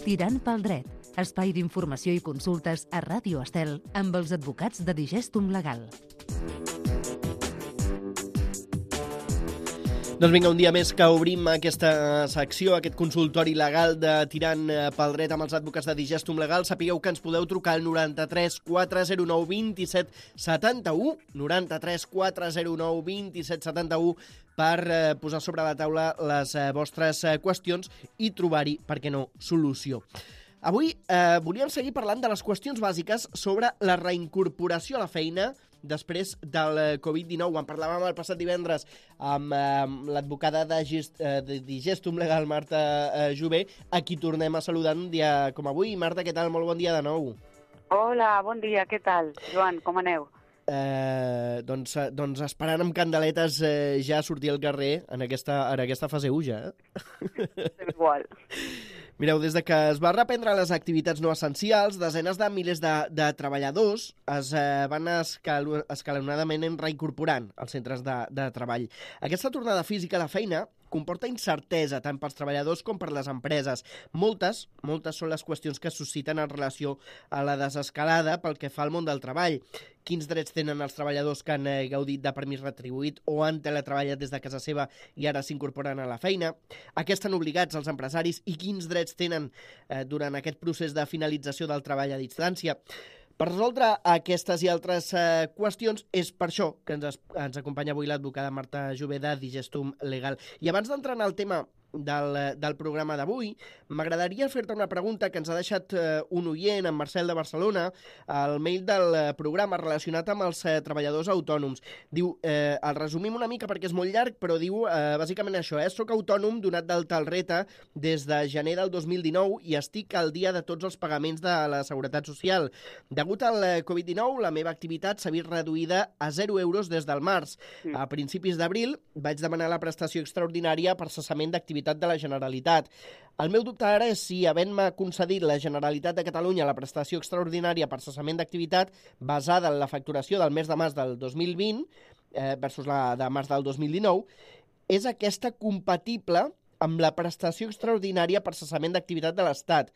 Tirant pel dret, espai d'informació i consultes a Ràdio Estel amb els advocats de Digestum Legal. Doncs vinga, un dia més que obrim aquesta secció, aquest consultori legal de Tirant pel dret amb els advocats de Digestum Legal. Sapigueu que ens podeu trucar al 93 409 27 71, 93 409 27 71, per posar sobre la taula les vostres qüestions i trobar-hi, per què no, solució. Avui volíem seguir parlant de les qüestions bàsiques sobre la reincorporació a la feina després del Covid-19. En parlàvem el passat divendres amb l'advocada de Digestum Legal, Marta Jové, a qui tornem a saludar un dia com avui. Marta, què tal? Molt bon dia de nou. Hola, bon dia, què tal? Joan, com aneu? Doncs esperant amb candeletes ja sortir al carrer en aquesta fase 1 ja. Igual. Mireu, des de que es va reprendre les activitats no essencials, desenes de milers de treballadors es van escalonadament reincorporant als centres de treball. Aquesta tornada física a la feina comporta incertesa tant pels treballadors com per les empreses. Moltes són les qüestions que es susciten en relació a la desescalada pel que fa al món del treball. Quins drets tenen els treballadors que han gaudit de permís retribuït o han teletreballat des de casa seva i ara s'incorporen a la feina? A què estan obligats els empresaris i quins drets tenen durant aquest procés de finalització del treball a distància? Per resoldre aquestes i altres qüestions, és per això que ens acompanya avui l'advocada Marta Jové de Digestum Legal. I abans d'entrar en el tema del programa d'avui, m'agradaria fer-te una pregunta que ens ha deixat un oient, en Marcel de Barcelona, al mail del programa relacionat amb els treballadors autònoms. Diu, el resumim una mica perquè és molt llarg, però diu bàsicament això, soc autònom donat d'alta al RETA des de gener del 2019 i estic al dia de tots els pagaments de la Seguretat Social. Degut al Covid-19, la meva activitat s'ha vist reduïda a 0 euros des del març. A principis d'abril vaig demanar la prestació extraordinària per cessament d'activitat de la Generalitat. El meu dubte ara és si, havent-me concedit la Generalitat de Catalunya la prestació extraordinària per cessament d'activitat basada en la facturació del mes de març del 2020 versus la de març del 2019, és aquesta compatible amb la prestació extraordinària per cessament d'activitat de l'Estat.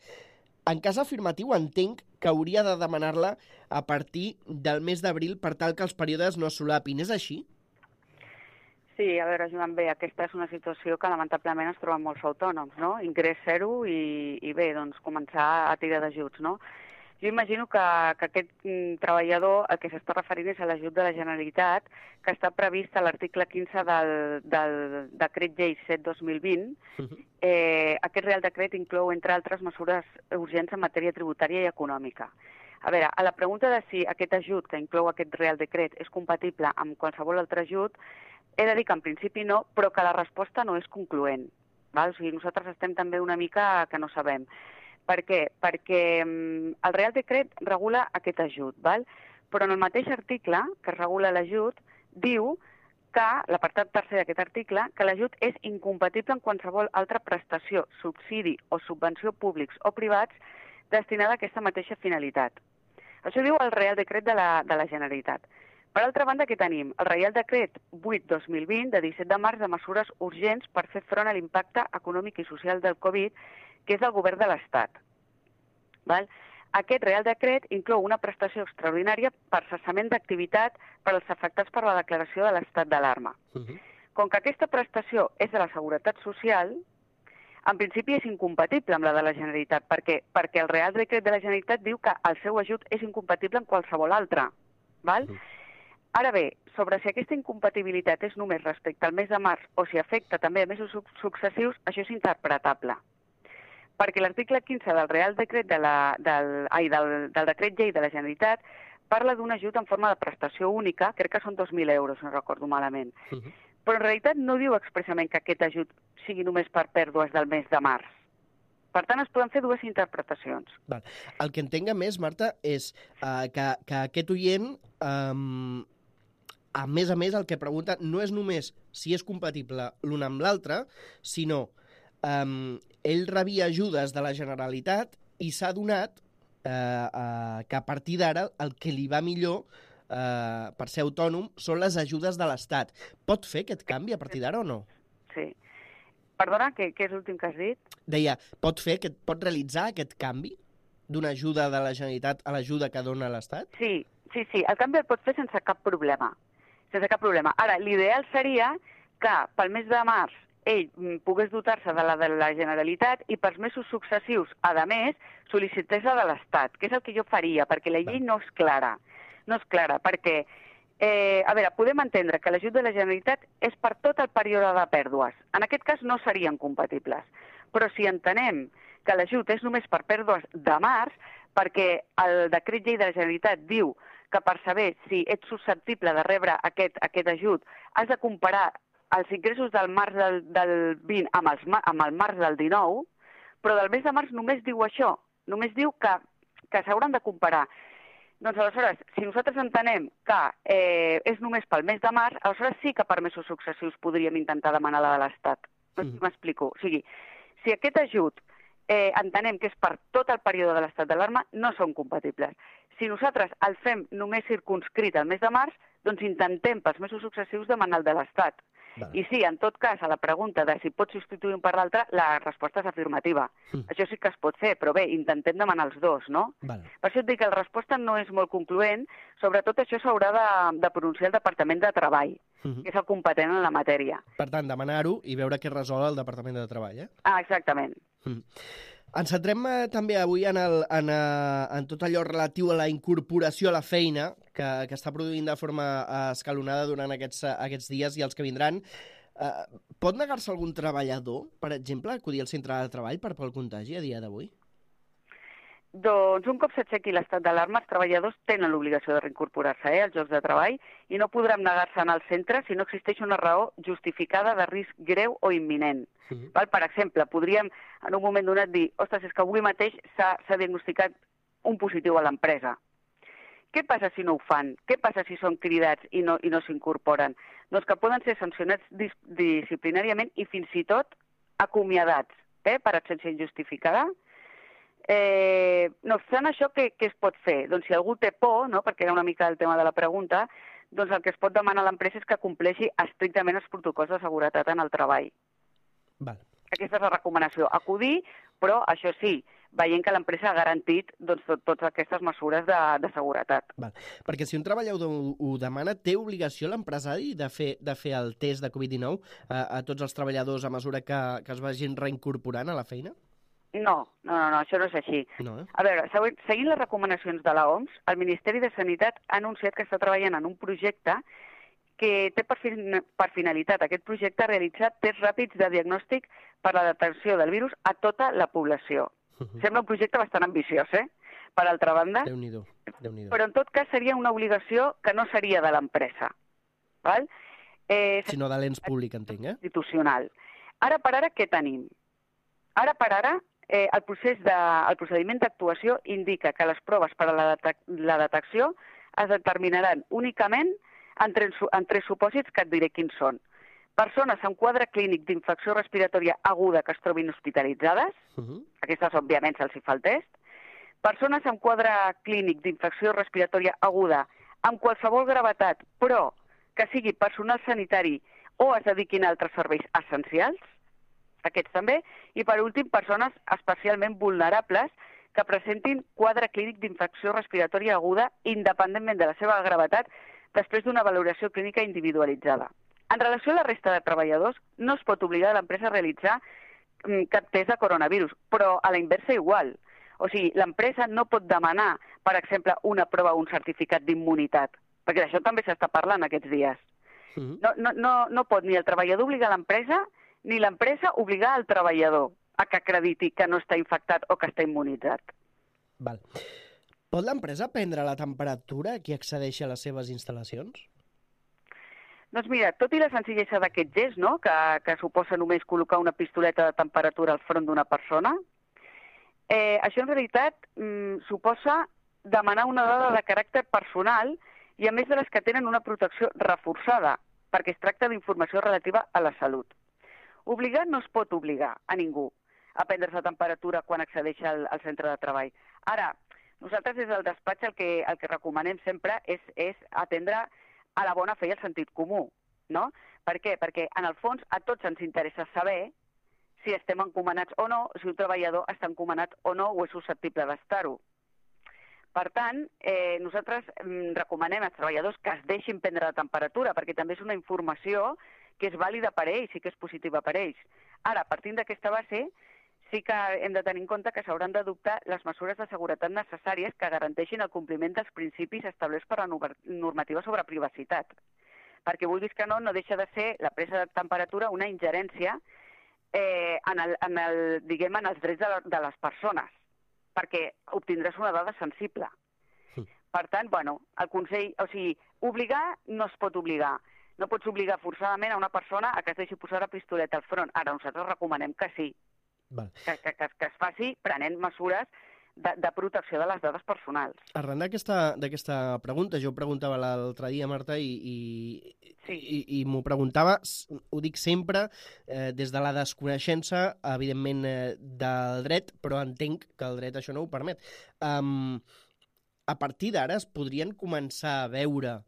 En cas afirmatiu, entenc que hauria de demanar-la a partir del mes d'abril per tal que els períodes no es solapin. És així? Sí, a veure, Joan, bé, aquesta és una situació que lamentablement es troben molts autònoms, no? Ingrés zero i bé, doncs començar a tirar d'ajuts, no? Jo imagino que aquest treballador el que s'està referint és a l'ajut de la Generalitat, que està previst a l'article 15 del decret llei 7-2020. Aquest Real Decret inclou, entre altres, mesures urgents en matèria tributària i econòmica. A veure, a la pregunta de si aquest ajut que inclou aquest Real Decret és compatible amb qualsevol altre ajut, he de dir que en principi no, però que la resposta no és concloent. Val? O sigui, nosaltres estem també una mica que no sabem. Per què? Perquè el Real Decret regula aquest ajut, val? Però en el mateix article que regula l'ajut diu que, l'apartat tercer d'aquest article, que l'ajut és incompatible amb qualsevol altra prestació, subsidi o subvenció públics o privats destinada a aquesta mateixa finalitat. Això diu el Real Decret de la Generalitat. Per altra banda, què tenim? El Reial Decret 8-2020, de 17 de març, de mesures urgents per fer front a l'impacte econòmic i social del Covid, que és del govern de l'Estat. Aquest Real Decret inclou una prestació extraordinària per cessament d'activitat per als afectats per la declaració de l'estat d'alarma. Com que aquesta prestació és de la Seguretat Social, en principi és incompatible amb la de la Generalitat. Per què? Perquè el Real Decret de la Generalitat diu que el seu ajut és incompatible amb qualsevol altre. Ara bé, sobre si aquesta incompatibilitat és només respecte al mes de març o si afecta també a mesos successius, això és interpretable. Perquè l'article 15 del Real Decret del Decret Llei de la Generalitat parla d'un ajut en forma de prestació única, crec que són 2.000 euros, no recordo malament. Però en realitat no diu expressament que aquest ajut sigui només per pèrdues del mes de març. Per tant, es poden fer dues interpretacions. Val. El que entenc més, Marta, és que aquest oient, a més, el que pregunta no és només si és compatible l'un amb l'altre, sinó ell rebia ajudes de la Generalitat i s'ha adonat que a partir d'ara el que li va millor per ser autònom són les ajudes de l'Estat. Pot fer aquest canvi a partir d'ara o no? Sí. Perdona, què és l'últim que has dit? Deia, pot realitzar aquest canvi d'una ajuda de la Generalitat a l'ajuda que dona l'Estat? Sí, el canvi el pot fer sense cap problema. Sense cap problema. Ara, l'ideal seria que pel mes de març ell pogués dotar-se de la Generalitat i pels mesos successius, a més, sol·licités la de l'Estat, que és el que jo faria, perquè la llei no és clara. No és clara, perquè, a veure, podem entendre que l'ajut de la Generalitat és per tot el període de pèrdues. En aquest cas no serien compatibles. Però si entenem que l'ajut és només per pèrdues de març, perquè el decret llei de la Generalitat diu que per saber si ets susceptible de rebre aquest ajut has de comparar els ingressos del març del 20 amb el març del 19, però del mes de març només diu això, només diu que s'hauran de comparar. Doncs aleshores, si nosaltres entenem que és només pel mes de març, aleshores sí que per mesos successius podríem intentar demanar la de l'Estat. No sé si m'explico. O sigui, si aquest ajut entenem que és per tot el període de l'estat d'alarma, no són compatibles. Si nosaltres el fem només circunscrit al mes de març, doncs intentem pels mesos successius demanar el de l'Estat. I sí, en tot cas, a la pregunta de si pot substituir un per l'altre, la resposta és afirmativa. Això sí que es pot fer, però bé, intentem demanar els dos, no? Per això et dic que la resposta no és molt concloent, sobretot això s'haurà de pronunciar el Departament de Treball, que és el competent en la matèria. Per tant, demanar-ho i veure què resol el Departament de Treball, eh? Ah, exactament. Ens centrem també avui en tot allò relatiu a la incorporació a la feina que està produint de forma escalonada durant aquests dies i els que vindran. Pot negar-se algun treballador, per exemple, a acudir al centre de treball pel contagi a dia d'avui? Doncs un cop s'aixequi l'estat d'alarma, els treballadors tenen l'obligació de reincorporar-se als llocs de treball i no podran negar-se en el centre si no existeix una raó justificada de risc greu o imminent. Per exemple, podríem en un moment donat dir ostres, és que avui mateix s'ha diagnosticat un positiu a l'empresa. Què passa si no ho fan? Què passa si són cridats i no s'incorporen? Doncs que poden ser sancionats disciplinàriament i fins i tot acomiadats per absència injustificada. No obstant això, què es pot fer? Doncs si algú té por, no, perquè era una mica el tema de la pregunta, doncs el que es pot demanar a l'empresa és que compleixi estrictament els protocols de seguretat en el treball. Aquesta és la recomanació. Acudir, però això sí, veient que l'empresa ha garantit totes aquestes mesures de seguretat. Perquè si un treballador ho demana, té obligació l'empresari de fer el test de Covid-19 a tots els treballadors a mesura que es vagin reincorporant a la feina? No, això no és així. A veure, seguint les recomanacions de l'OMS, el Ministeri de Sanitat ha anunciat que està treballant en un projecte que té per finalitat aquest projecte realitzar tests ràpids de diagnòstic per la detecció del virus a tota la població. Sembla un projecte bastant ambiciós, per altra banda. Déu-n'hi-do. Però en tot cas seria una obligació que no seria de l'empresa. Sinó de l'ens públic, entenc, institucional. Ara per ara, què tenim? Ara per ara, el procediment d'actuació indica que les proves per a la detecció es determinaran únicament en tres supòsits que et diré quins són. Persones amb quadre clínic d'infecció respiratòria aguda que es trobin hospitalitzades, aquestes òbviament se'ls hi fa el test, persones amb quadre clínic d'infecció respiratòria aguda amb qualsevol gravetat, però que sigui personal sanitari o es dediquin a altres serveis essencials, aquests també, i per últim, persones especialment vulnerables que presentin quadre clínic d'infecció respiratòria aguda independentment de la seva gravetat després d'una valoració clínica individualitzada. En relació a la resta de treballadors, no es pot obligar a l'empresa a realitzar cap test de coronavirus, però a la inversa igual. O sigui, l'empresa no pot demanar, per exemple, una prova o un certificat d'immunitat, perquè d'això també s'està parlant aquests dies. No pot ni el treballador obligar l'empresa ni l'empresa obligar el treballador a que acrediti que no està infectat o que està immunitzat. Pot l'empresa prendre la temperatura a qui accedeixi a les seves instal·lacions? Doncs mira, tot i la senzillesa d'aquest gest, no?, que suposa només col·locar una pistoleta de temperatura al front d'una persona, això en realitat suposa demanar una dada de caràcter personal i a més de les que tenen una protecció reforçada, perquè es tracta d'informació relativa a la salut. Obligar no es pot obligar a ningú a prendre's la temperatura quan accedeix al centre de treball. Ara, nosaltres des del despatx el que recomanem sempre és atendre a la bona fe i al sentit comú, no? Per què? Perquè en el fons a tots ens interessa saber si estem encomanats o no, si un treballador està encomanat o no o és susceptible d'estar-ho. Per tant, nosaltres recomanem als treballadors que es deixin prendre la temperatura, perquè també és una informació que és vàlida per ells i que és positiva per ells. Ara, partint d'aquesta base, sí que hem de tenir en compte que s'hauran d'adoptar les mesures de seguretat necessàries que garanteixin el compliment dels principis establerts per la normativa sobre privacitat. Perquè vulguis que no deixa de ser la presa de temperatura una ingerència en els drets de les persones, perquè obtindràs una dada sensible. Per tant, el consell, obligar no es pot obligar. No pots obligar forçadament a una persona a que es deixi posar la pistoleta al front. Ara, nosaltres recomanem que sí, que es faci prenent mesures de protecció de les dades personals. Arran d'aquesta pregunta, jo ho preguntava l'altre dia, Marta, i m'ho preguntava, ho dic sempre, des de la desconeixença, evidentment, del dret, però entenc que el dret això no ho permet. A partir d'ara es podrien començar a veure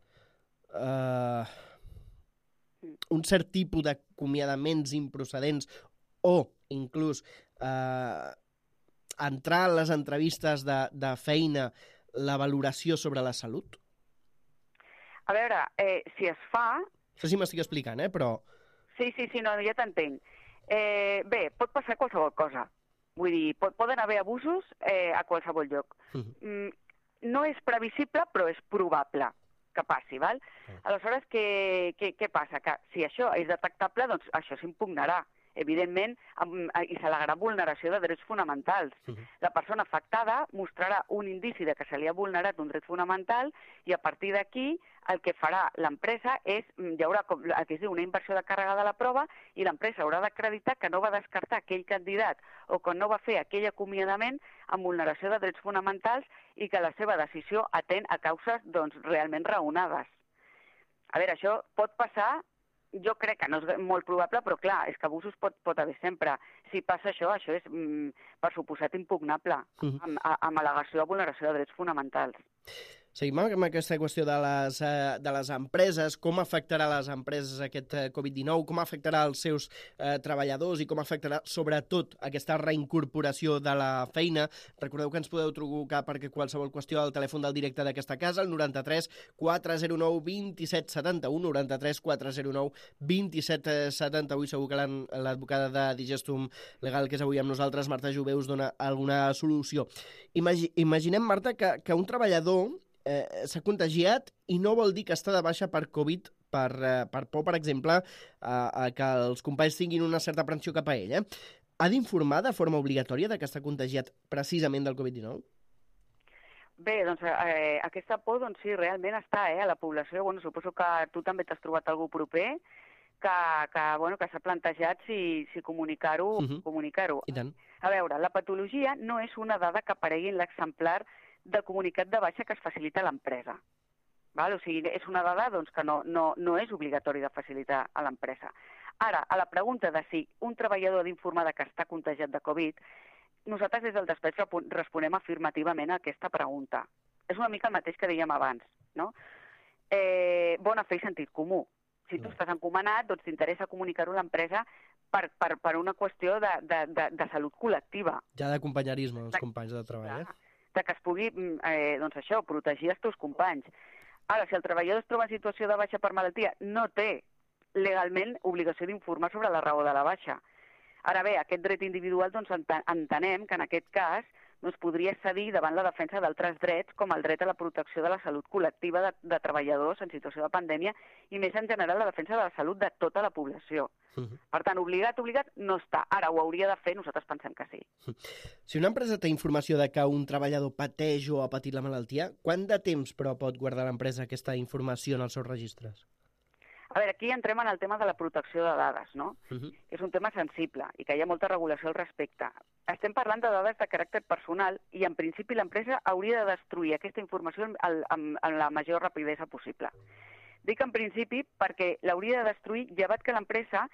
un cert tipus d'acomiadaments improcedents o inclús entrar a les entrevistes de feina la valoració sobre la salut? A veure, si es fa... No sé si m'estic explicant, però... Sí, no, ja t'entenc. Bé, pot passar qualsevol cosa. Vull dir, poden haver abusos a qualsevol lloc. No és previsible, però és probable que passi, val? Aleshores, què passa? Que si això és detectable, doncs això s'impugnarà, evidentment, i s'al·legarà vulneració de drets fonamentals. La persona afectada mostrarà un indici de que se li ha vulnerat un dret fonamental i a partir d'aquí el que farà l'empresa és, hi haurà el que es diu una inversió de càrrega de la prova i l'empresa haurà d'acreditar que no va descartar aquell candidat o que no va fer aquell acomiadament amb vulneració de drets fonamentals i que la seva decisió atén a causes realment raonades. A veure, això pot passar, jo crec que no és molt probable, però clar, és que abusos pot haver sempre. Si passa això és per suposat impugnable, amb al·legació de vulneració de drets fonamentals. Seguim amb aquesta qüestió de les empreses, com afectarà les empreses aquest Covid-19, com afectarà els seus treballadors i com afectarà sobretot aquesta reincorporació de la feina. Recordeu que ens podeu trucar perquè qualsevol qüestió al telèfon del directe d'aquesta casa, el 93 409 27 71, 93 409 27 71, i segur que l'advocada de Digestum Legal, que és avui amb nosaltres, Marta Jové, us dona alguna solució. Imaginem, Marta, que un treballador s'ha contagiat i no vol dir que està de baixa per Covid per por, per exemple, que els companys tinguin una certa aprensió cap a ell. Ha d'informar de forma obligatòria que està contagiat precisament del Covid-19? Bé, doncs aquesta por, sí, realment està a la població. Suposo que tu també t'has trobat algú proper que s'ha plantejat si comunicar-ho. I tant. A veure, la patologia no és una dada que aparegui en l'exemplar de comunicat de baixa que es facilita a l'empresa. O sigui, és una dada que no és obligatori de facilitar a l'empresa. Ara, a la pregunta de si un treballador ha d'informar que està contagiat de Covid, nosaltres des del despatx responem afirmativament a aquesta pregunta. És una mica el mateix que dèiem abans, no? Bona fe i sentit comú. Si tu estàs encomanat, doncs t'interessa comunicar-ho a l'empresa per una qüestió de salut col·lectiva. Ja d'acompanyarisme als companys de treball, de que es pugui, protegir els teus companys. Ara, si el treballador es troba en situació de baixa per malaltia, no té legalment obligació d'informar sobre la raó de la baixa. Ara bé, aquest dret individual, entenem que en aquest cas es podria cedir davant la defensa d'altres drets, com el dret a la protecció de la salut col·lectiva de treballadors en situació de pandèmia i més en general la defensa de la salut de tota la població. Per tant, obligat no està. Ara ho hauria de fer, nosaltres pensem que sí. Si una empresa té informació de que un treballador pateix o ha patit la malaltia, quant de temps, però, pot guardar l'empresa aquesta informació en els seus registres? A veure, aquí entrem en el tema de la protecció de dades, no? És un tema sensible i que hi ha molta regulació al respecte. Estem parlant de dades de caràcter personal i, en principi, l'empresa hauria de destruir aquesta informació amb la major rapidesa possible. Dic en principi perquè l'hauria de destruir llevat que l'empresa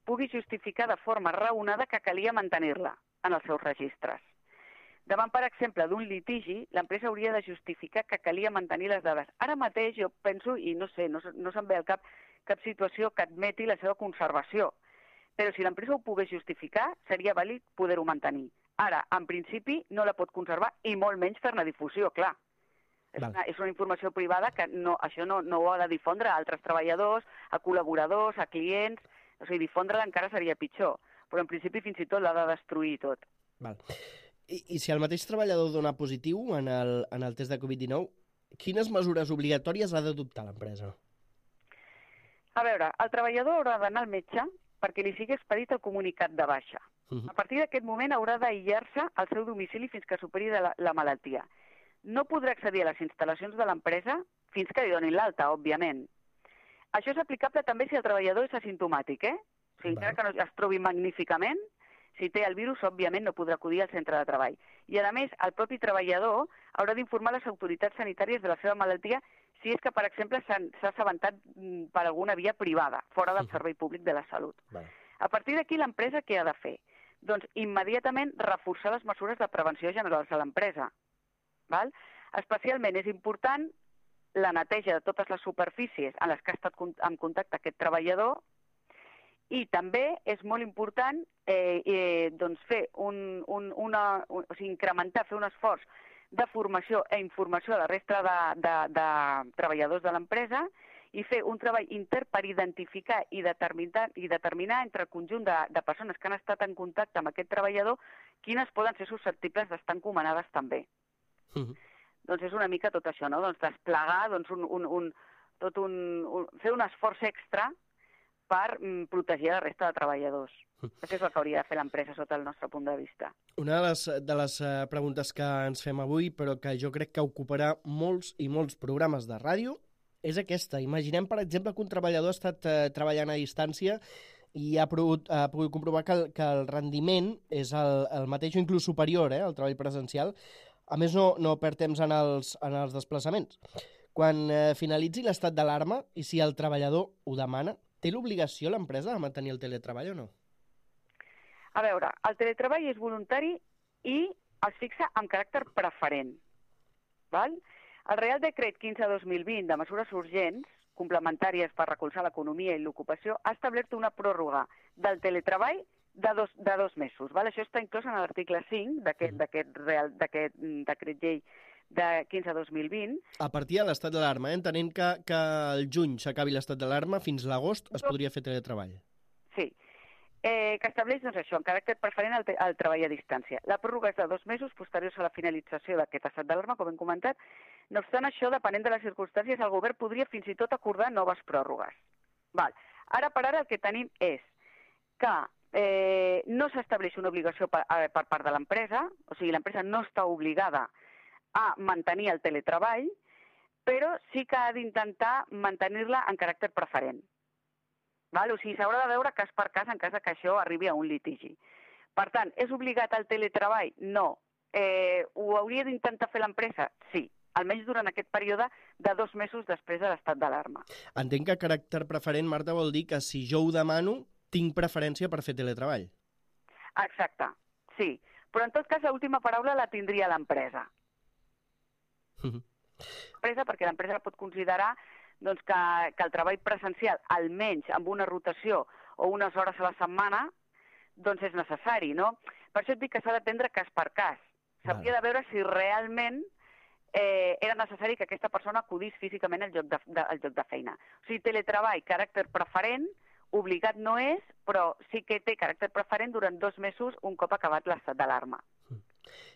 pugui justificar de forma raonada que calia mantenir-la en els seus registres. Davant, per exemple, d'un litigi, l'empresa hauria de justificar que calia mantenir les dades. Ara mateix jo penso, i no sé, no se'm ve al cap situació que admeti la seva conservació. però si l'empresa ho pogués justificar, seria vàlid poder-ho mantenir. Ara, en principi, no la pot conservar i molt menys fer-ne difusió, clar. És una informació privada que això no ho ha de difondre a altres treballadors, a col·laboradors, a clients. O sigui, difondre-la encara seria pitjor, però en principi fins i tot l'ha de destruir tot. Val. I si el mateix treballador dona positiu en el test de Covid-19, quines mesures obligatòries ha d'adoptar l'empresa? A veure, el treballador haurà d'anar al metge perquè li sigui expedit el comunicat de baixa. A partir d'aquest moment haurà d'aïllar-se al seu domicili fins que superi la malaltia. No podrà accedir a les instal·lacions de l'empresa fins que li donin l'alta, òbviament. Això és aplicable també si el treballador és asimptomàtic, O sigui, encara que no es trobi magníficament, si té el virus, òbviament no podrà acudir al centre de treball. I, a més, el propi treballador haurà d'informar les autoritats sanitàries de la seva malaltia si és que, per exemple, s'ha assabentat per alguna via privada, fora del servei públic de la salut. A partir d'aquí, l'empresa què ha de fer? Doncs immediatament reforçar les mesures de prevenció generals a l'empresa. Especialment és important la neteja de totes les superfícies en les que ha estat en contacte aquest treballador i també és molt important fer incrementar, fer un esforç de formació i informació a la resta de treballadors de l'empresa i fer un treball intern per identificar i determinar entre el conjunt de persones que han estat en contacte amb aquest treballador quines poden ser susceptibles d'estar encomanades també. Doncs és una mica tot això, no? Doncs desplegar, fer un esforç extra per protegir la resta de treballadors. Això és el que hauria de fer l'empresa sota el nostre punt de vista. Una de les preguntes que ens fem avui, però que jo crec que ocuparà molts i molts programes de ràdio, és aquesta. Imaginem, per exemple, que un treballador ha estat treballant a distància i ha pogut comprovar que el rendiment és el mateix o inclús superior al treball presencial. A més, no perd temps en els desplaçaments. Quan finalitzi l'estat d'alarma i si el treballador ho demana, té l'obligació l'empresa de mantenir el teletreball o no? A veure, el teletreball és voluntari i es fixa amb caràcter preferent. El Real Decret 15/2020 de mesures urgents complementàries per recolzar l'economia i l'ocupació ha establert una pròrroga del teletreball de 2 mesos. Això està inclòs en l'article 5 d'aquest decret llei de 15/2020. A partir de l'estat d'alarma, entenent que al juny s'acabi l'estat d'alarma, fins l'agost es podria fer teletreball. Sí, que estableix això, en caràcter preferent al treball a distància. La pròrroga és de 2 mesos posteriors a la finalització d'aquest estat d'alarma, com hem comentat. No obstant això, depenent de les circumstàncies, el govern podria fins i tot acordar noves pròrrogues. Ara per ara el que tenim és que no s'estableix una obligació per part de l'empresa, o sigui, l'empresa no està obligada a mantenir el teletreball, però sí que ha d'intentar mantenir-la en caràcter preferent. O sigui, s'haurà de veure cas per cas en cas que això arribi a un litigi. Per tant, és obligat el teletreball? No. Ho hauria d'intentar fer l'empresa? Sí. Almenys durant aquest període de 2 mesos després de l'estat d'alarma. Entenc que caràcter preferent, Marta, vol dir que si jo ho demano, tinc preferència per fer teletreball. Exacte, sí. Però en tot cas l'última paraula la tindria l'empresa. Perquè l'empresa pot considerar que el treball presencial, almenys amb una rotació o unes hores a la setmana, és necessari, no? Per això et dic que s'ha d'atendre cas per cas. S'hauria de veure si realment era necessari que aquesta persona acudís físicament al lloc de feina. O sigui, teletreball, caràcter preferent, obligat no és, però sí que té caràcter preferent durant 2 mesos un cop acabat l'estat d'alarma.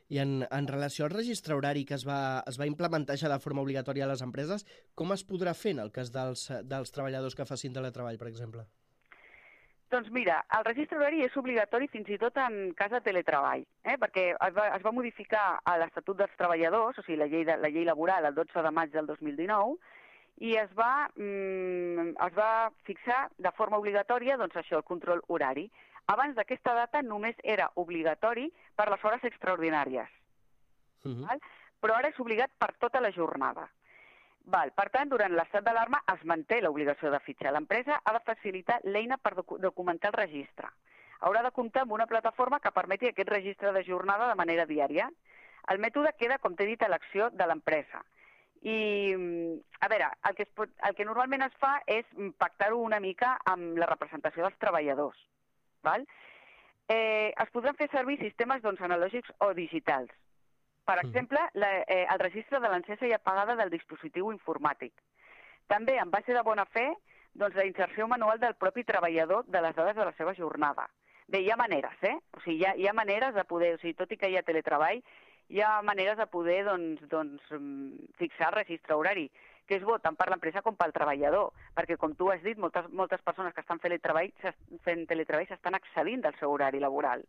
I en relació al registre horari que es va implementar ja de forma obligatòria a les empreses, com es podrà fer en el cas dels treballadors que facin teletreball, per exemple? Doncs mira, el registre horari és obligatori fins i tot en cas de teletreball, perquè es va modificar a l'Estatut dels Treballadors, o sigui, la llei laboral, el 12 de maig del 2019, i es va fixar de forma obligatòria el control horari. Abans d'aquesta data només era obligatori per les hores extraordinàries, però ara és obligat per tota la jornada. Per tant, durant l'estat d'alarma es manté l'obligació de fitxar. L'empresa ha de facilitar l'eina per documentar el registre. Haurà de comptar amb una plataforma que permeti aquest registre de jornada de manera diària. El mètode queda, com t'he dit, a l'acció de l'empresa. I, a veure, el que normalment es fa és pactar-ho una mica amb la representació dels treballadors. val? Es podran fer servir sistemes analògics o digitals. Per exemple, el registre de l'encesa i apagada del dispositiu informàtic. També, en base de bona fe, la inserció manual del propi treballador de les dades de la seva jornada. Bé, hi ha maneres, O sigui, hi ha maneres de poder, tot i que hi ha teletreball, hi ha maneres de poder fixar el registre horari, que és bo tant per l'empresa com pel treballador, perquè, com tu has dit, moltes persones que estan fent teletreball s'estan excedint del seu horari laboral.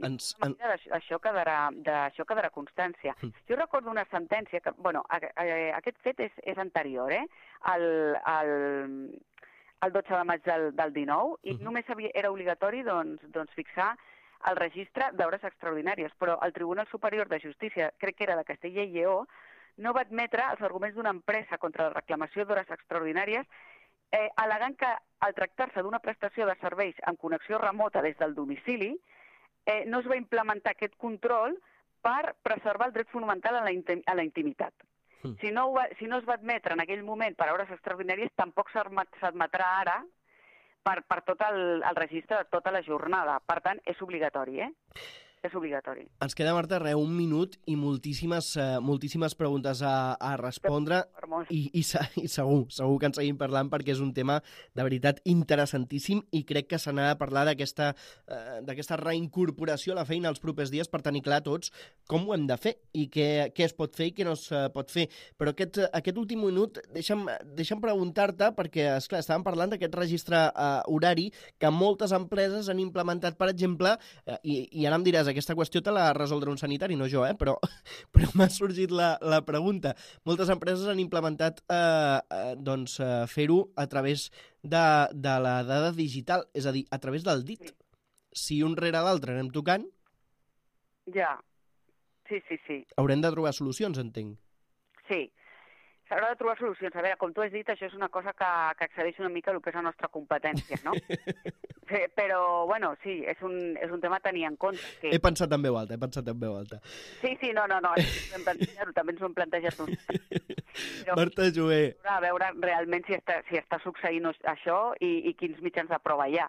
Això quedarà constància. Jo recordo una sentència que, aquest fet és anterior, el 12 de maig del 19, i només era obligatori fixar el registre d'hores extraordinàries, però el Tribunal Superior de Justícia, crec que era de Castella i Lleó, no va admetre els arguments d'una empresa contra la reclamació d'hores extraordinàries, al·legant que, al tractar-se d'una prestació de serveis amb connexió remota des del domicili, no es va implementar aquest control per preservar el dret fonamental a la intimitat. Si no es va admetre en aquell moment per hores extraordinàries, tampoc s'admetrà ara per tot el registre de tota la jornada. Per tant, és obligatori, És obligatori. Ens queda, Marta, un minut i moltíssimes preguntes a respondre i segur que en seguim parlant perquè és un tema de veritat interessantíssim i crec que se n'ha de parlar d'aquesta reincorporació a la feina els propers dies per tenir clar tots com ho hem de fer i què es pot fer i què no es pot fer. Però aquest últim minut deixa'm preguntar-te perquè, esclar, estàvem parlant d'aquest registre horari que moltes empreses han implementat, per exemple, i ara em diràs, aquesta qüestió te l'ha de resoldre un sanitari, no jo, però m'ha sorgit la pregunta. Moltes empreses han implementat fer-ho a través de la dada digital, és a dir, a través del dit. Si un rere l'altre anem tocant... Ja, sí. Haurem de trobar solucions, entenc. Sí, s'haurà de trobar solucions. A veure, com tu has dit, això és una cosa que excedeix una mica el que és la nostra competència, no? Però, sí, és un tema a tenir en compte. He pensat en veu alta. Sí, no, també ens ho hem plantejat nosaltres. Marta Jover. A veure realment si està succeint això i quins mitjans de prova hi ha.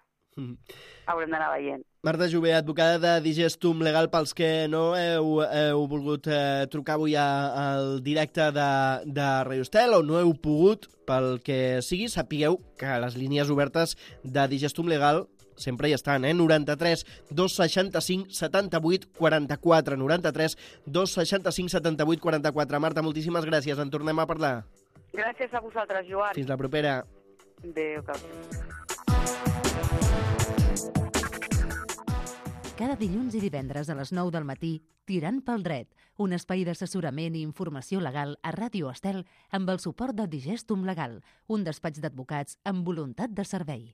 Haurem d'anar veient. Marta Jover, advocada de Digestum Legal, pels que no heu volgut trucar avui al directe de Radio Estel o no heu pogut, pel que sigui, sapigueu que les línies obertes de Digestum Legal sempre hi estan, 93 265 78 44, 93 265 78 44. Marta, moltíssimes gràcies, en tornem a parlar. Gràcies a vosaltres, Joan. Fins la propera. Adéu, Cada dilluns i divendres a les 9 del matí, Tirant pel dret, un espai d'assessorament i informació legal a Ràdio Estel amb el suport de Digestum Legal, un despatx d'advocats amb voluntat de servei.